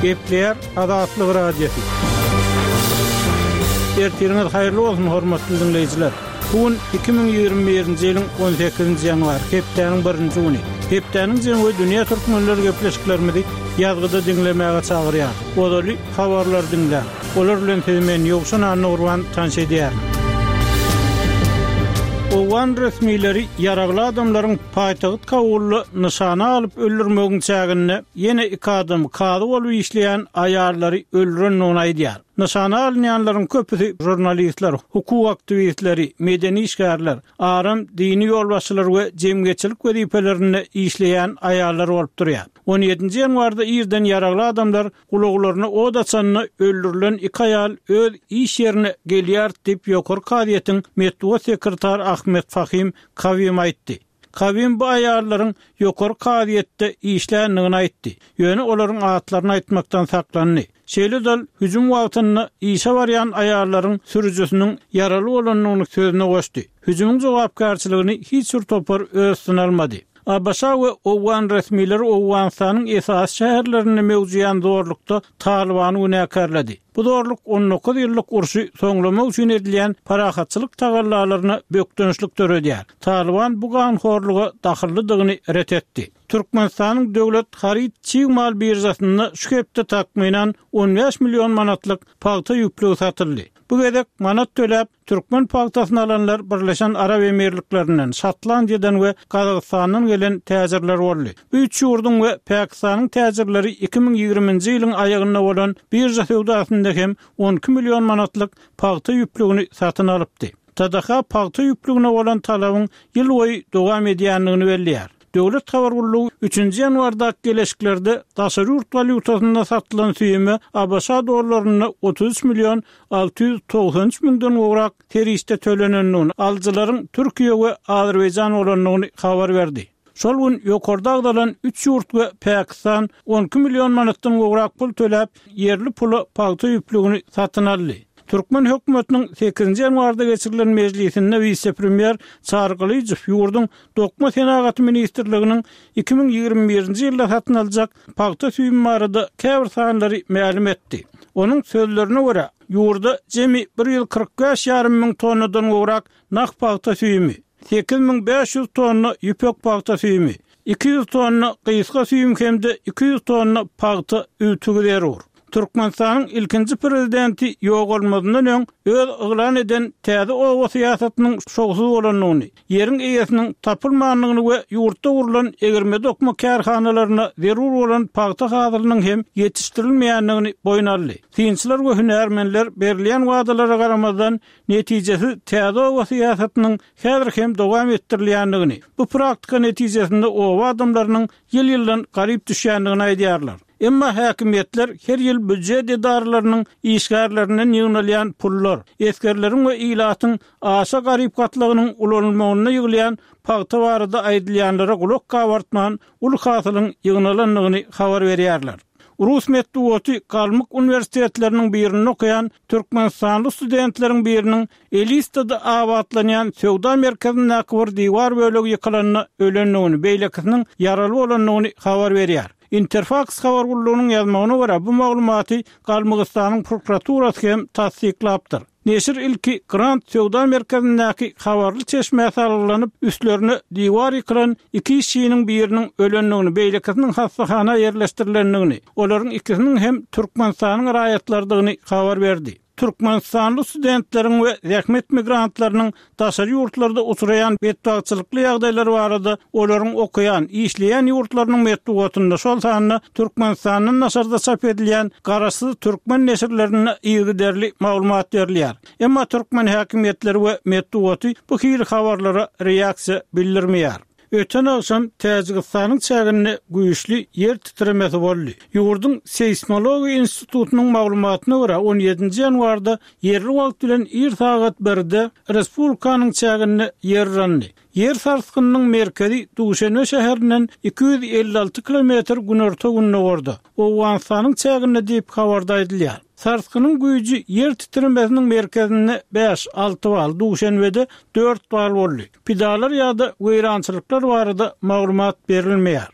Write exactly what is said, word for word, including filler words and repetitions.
Gepleýär Azatlyk Radiosy. Ertiriňiz haýyrly bolsun, hormatly diňleýjiler. Bu gün iki müň ýigrimi birinji ýylyň on sekizinji ýanwary, hepdäniň birinji güni. Hepdäniň jemi we dünýä türkmenleri gepleşiklerimizi ýazgyda diňlemäge çagyrýar. Ozaly habarlary diňläň. Olar bilen sizi men Ýowşan Annagurban tanyş edýärin. Owgan resmileri ýaragly adamlaryň paýtagt Kabulda nyşana alyp öldürmegiň çäginde ýene iki adam kazy bolup işleýän aýallary öldürendigini aýdýar. Nyşana alynýanlaryň köpüsi žurnalistler, hukuk aktiwistleri, medeni işgärler, aram dini ýolbaşçylar we jemgyýetçilik wezipelerinde işleýän aýallar bolup durýar. On ýedinji ýanwarda irden ýaragly adamlar gulaglaryna od açanda öldürilen iki aýal öz iş ýerine gelýär diýip ýokary kazyýetiň metbugat sekretary Ahmet Fahim Kawim aýtdy. Kawim bu aýallaryň ýokary kazyýetde işländigini aýtdy. Ýöne olaryň atlaryny aýtmakdan saklandy. Şeýle dal hüjüm wagtynda işe barýan aýallaryň sürüjisiniň ýaraly bolandygyny sözüne goşdy. Hüjümiň jogapkärçiligini hiç bir topar öz üstüne almady. A B Ş we Owgan resmileri Owganystanyň esasy şäherlerinde mewzuýan zorlukda Talibany günäkärledi. Bu zorluk on dokuz ýyllyk urşy soňlamak üçin edilýän parahatçylyk tagallalaryna bökdençlik döredýär. Taliban bu ganhorluga dahyllydygyny ret etdi. Türkmenistanyň döwlet haryt çig mal biržasynda şu hepde takmynan on bäş milyon manatlyk pagta ýüplügi satyldy. Bu gezek manat töläp Türkmen pagtasyny alanlar Birleşen Arap Emirliklerinden, Şotlandiýadan we Gazagystandan gelen täjirler boldy. Bu üç ýurduň we Pakistanyň täjirleri iki müň ýigriminji ýylyň aýagynda bolan birja söwdasynda hem on iki milyon manatlyk pagta ýüplügini satyn alypdy. T D H pagta ýüplügine bolan talabyň ýyl boýy dowam edýändigini belleýär. Döwlet habar gullugy üçünji ýanwarda geleşiklerde daşary ýurt walýutasynda satylan süýüme A B Ş dollarynda otuz üç milyon alty ýüz togsan üç müňden gowrak serişde tölenendigini, alyjylaryň Türkiýe we Azerbaýjan bolandygyny habar berdi. Şol gün ýokarda agzalan üç ýurt we Pakistan on iki milyon manatdan gowrak pul töläp, ýerli pula pagta ýüplügini satyn aldy. Türkmen hökümetiniň sekizinji ýanwarda geçirilen mejlisinde wise-premýer Çary Gylyjow ýurduň Dokma Senagaty Ministrliginiň iki müň ýigrimi birinji ýylda satyn aljak pagta süýümi barada käbir sanlary mälim etdi. Onuň sözlerine görä, ýurda jemi bir ýüz kyrk bäş ýarym müň tonnadan gowrak nah pagta süýümi, sekiz müň bäş ýüz tonna ýüpek pagta süýümi, iki ýüz tonna gysga süýüm hem-de iki ýüz tonna pagta ütügi zerur. Türkmenistanyň ilkinji prezidenti ýogalmazyndan öň öz yglan eden täze oba syýasatynyň şowsuz bolandygyny, ýeriň eýesiniň tapylmandygyny we ýurtda gurlan egirme dokma kärhanalaryna zerur bolan pagta hasylynyň hem ýetişdirilmeýändigini boýun aldy. Synçylar we hünärmenler berilýän wadalara garamazdan netijesi täze oba syýasatynyň häzir hem dowam etdirilýändigini, bu praktika netijesinde oba adamlarynyň ýyl-ýyldan garyp düşýändigini aýdýarlar. Emma häkimiýetler her ýyl býujet edaralarynyň işgärlerinden ýygnalýan pullar, esgerleriň we ilatyň aşa garyp gatlagynyň ulanylmagynda ýygylýan pagta barada aýdylýanlara gulak gabartman uly hasylyň ýygnalandygyny habar berýärler. Rus metbugaty Galmyk uniwersitetleriniň birinde okaýan Türkmenistanly studentleriň biriniň Elistada abatlanýan söwda merkezindäki bir diwar bölegi ýykylanda ölendigini, beýlekisiniň ýaraly bolandygyny habar berýär. Interfax habar gullugynyň ýazmagyna görä bu maglumaty Galmygystanyň prokuraturasy hem tassyklapdyr. Neşir ilki Grand söwda merkezindäki habarly çeşmä salgylanyp, üstlerine diwar ýykylan iki işçiniň biriniň ölendigini, beýlekisiniň hassahana ýerleşdirilendigini, olaryň ikisiniň hem Türkmenistanyň raýatlarydygyny habar berdi. Türkmenistanly studentleriň we zähmet migrantlarynyň daşary ýurtlarda uçraýan betbagtçylykly ýagdaýlary barada olaryň okaýan, işleýän ýurtlarynyň metbugatynda, şol sanda Türkmenistandan daşarda çap edilýän garaşsyz türkmen neşirlerinde yzygiderli maglumat berilýär. Emma türkmen häkimiýetleri we metbugaty bu hili habarlara reaksiýa bildirmeýär. Öten akşam Täjigistanyň çäginde güýçli ýer titremesi boldy. Ýurduň Seismologiýa institutynyň maglumatyna görä on ýedinji ýanwarda ýerli wagt bilen ir sagat birde Respublikanyň çäginde ýer yrandy. Ýer sarsgynynyň merkezi Duşenbe şäherinden iki ýüz elli alty kilometr günorta gündogarda, Owganystanyň çäginde diýip habarda aýdylýar. Sarsgynyň güýji ýer titremesiniň merkezinde bäş, alty bal, Duşenbede dört bal boldy. Pidalar ýa-da weýrançylyklar barada maglumat berilmeýär.